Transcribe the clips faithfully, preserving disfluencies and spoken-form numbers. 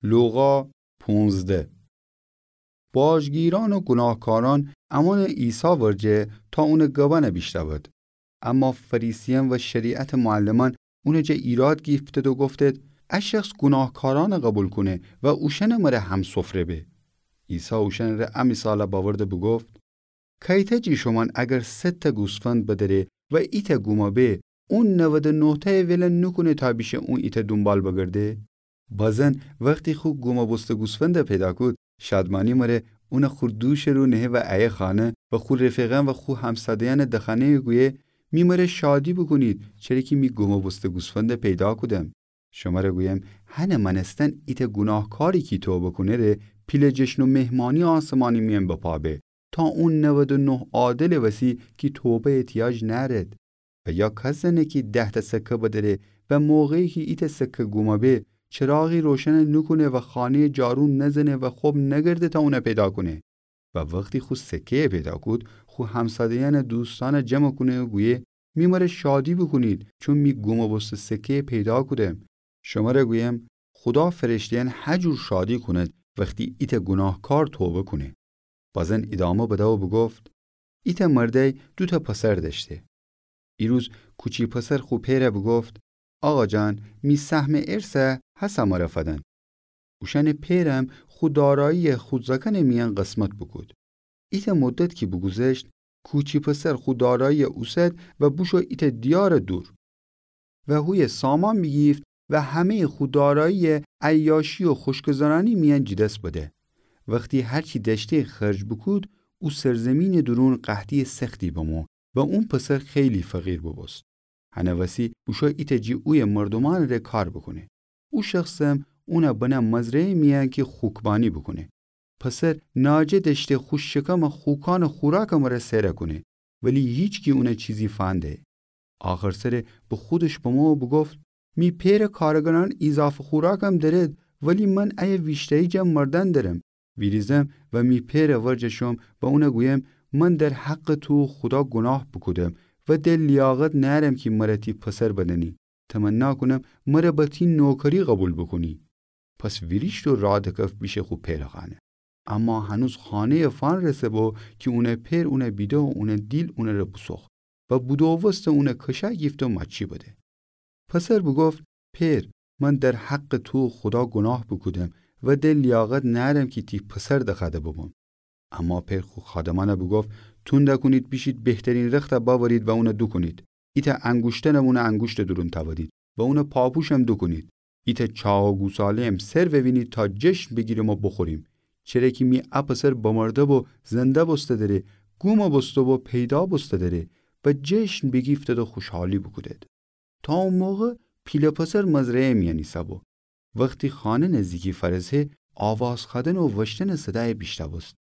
لوقا پونزده. باجگیرأن و گوناهکارأن امأنٚ عیسی ورجه تا اونٚ گبأن بیشنود. اما فریسیأن و شریعتٚ معلمأن اونٚ جا ایراد گیفتید و گفتید: ا شخص گوناهکارأن قوبیل کونه و اوشأنٚ مره همسفره به. عیسی اوشأنٚ ره ا مثال بأورد و بوگفت: کیتأ جٚه شومأن اگر صدتأ گوسفند بدأره و ایتأ گوم به، اون نود و نهتأ ول نوکونه تا بیشه اون ایتأ دونبال بگرده؟ بازین وختی خو گوم بوسته گوسفند پیدا کود، شادمأنی مره اون خو دوشٚ رو نهه و ایه خانه و خو رفیقأن و خو همساده‌یأنٚ دخانه‌یٚ گویه: می مره شادی بوکونید، چره کی می گوم بوسته گوسفند پیدا کودم. شمره گویم، هنٚ مأنستن ایتأ گوناهکاری کی توبه کونه ره پیله جشن و مهمانی آسمانی میأن بپا به، تا اون نود و نه عادلٚ وسی کی توبه احتیاج نأرید. و یا کس زنه کی دهتأ سکه بدأره و موقعی کی ایتأ سکه گوم به، چراغی روشن نوکونه و خانه‌یٚ جارو نزنه و خب نگرده تا اون پیدا کونه. و وختی خو سکه‌یٚ پیدا کود، خو همساده‌یأن و دوستأن جمع کونه و گویه: می مره شادی بوکونید، چون می گوم بوسته سکه‌یٚ پیدا کودم. شمره گویم، خودا فرشته‌یأن هجور شادی کونید وختی ایتأ گوناهکار توبه کونه. بازین ایدامه بده و بوگفت: ایتأ مردأی دوتأ پسر دأشته. ایروز کوچی پسر خو پئر بوگفت: آقا جان، می سهمٚ ارث هسه مره فدن. اوشأنٚ پئرم خو دارایی خو زأکأنٚ میأن قسمت بوکود. ایتأ مدت کی بوگوذشت، کوچی پسر خو دارایی اوسد و بوشو ایتأ دیارٚ دور. و هویه سامان بیگیفت و همه‌یٚ خو دارایی عیاشی و خوشگذرانی میأن جٚه دس بده. وختی هر چی دأشته خرج بوکود، او سرزیمینٚ دورون قحطییٚ سختی بمو و اون پسر خیلی فقیر بوبوست. هنٚ وسی بوشو ایتأ جٚه اویه مردومأنٚ ره کار بوکونه. او شخصم اون بنه مزرعه‌یٚ میأن کی خوکبانی بوکونه. پسر ناجه دأشته خو شکم خوکأنٚ خوراکٚ مره سئر کونه، ولی هیچکی اون چیزی فنده‌یه. آخر سره به خودش بمو و بوگفت: می پئرٚ کارگرأن ایضافه خوراکم دأرید، ولی من ایه ویشتأیی جا مردن درم. ویریزم و می پئرٚ ورجه شوم و اون گویم: من در حقٚ تو و خودا گوناه بوکودم و دل لیاقت نأرم کی مره تی پسر بدنی. تمنا کونم مره به تی نوکری قوبیل بوکونی. پس ویریشت و راه دکفت بیشه خو پئرٚ خانه. اما هنوز خانه‌یٚ فأنرسه‌بو کی اونٚ پئر اون بیده و اونٚ دیل اونٚ ره بوسوخت و بودووسته اون کشأ گیفته و ماچی بده. پسر بوگفت: پئر، من در حقٚ تو و خودا گوناه بوکودم و دل لیاقت نأرم کی تی پسر دخوأده ببم. اما پئر خو خادمأن بوگفت: توند کونید، بیشید بهترین رخت بأورید و اون دوکونید. ایتأ انگوشترم اونٚ انگوشتٚ دورون تأودید و اونٚ پاپوشم دوکونید. ایتأ چاق و گوساله‌یم سر ووینید تا جشن بیگیریم و بوخوریم. چره کی می ا پسر بمرده‌بو زنده بوسته دره، گوم بوسته‌بو پیدا بوسته دره و جشن بیگیفتید و خوشحالی بوکودید. تا او موقع پیله پسر مزرعه‌یٚ میأن ایسه‌بو. وختی خانه نزدیکی فأرسه، آواز خوأدن و وشتنٚ صدای بیشنوست.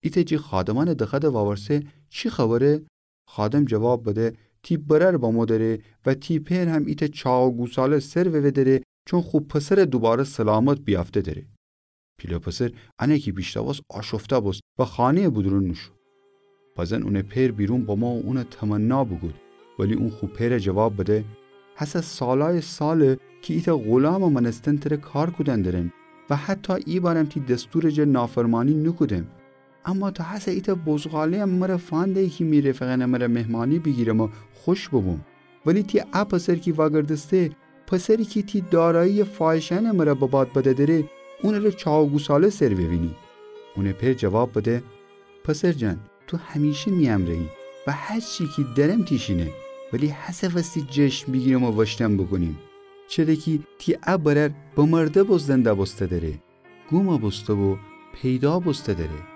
ایتأ جٚه خادمأنٚ دخوأده وأورسه: چی خبره؟ خادم جواب بده: تی برأر بمو دره و تی پئر هم ایتأ چاق و گوساله سر ووه دره، چون خو پسر دوباره سلامت بیافته دره. پیله پسر انه کی بیشنوست آشفته بوست و خانه‌یٚ بودورون نوشو. بزن اونٚ پئر بیرون بمو و اون تمنا بوکود، ولی اون خو پئر جواب بده: هسه سالای ساله کی ایتأ غولامٚ مأنستن تره کار کودن درم و حتی ایبارم تی دستورٚ جا نافرمانی نوکودم. اما تو هسه ایتأ بزغاله‌یم مره فنده‌یی کی می رفیقأنٚ مره مهمانی بیگیرم و خوش ببوم. ولی تی ا پسر کی وأگردسته، پسری کی تی دارایی فاحشه‌یأنٚ مره بباد بده دره، اونٚ ره چاق و گوساله سر ووینی. اونٚ پئر جواب بده: پسر جان، تو همیشه می امره‌یی و هر چی کی درم تیشینه، ولی هسه وستی جشن بیگیرم و وشتن بوکونیم. چره کی تی ا برأر بمرده‌بو زنده بوسته دره، گوم بوسته‌بو پیدا بوسته دره.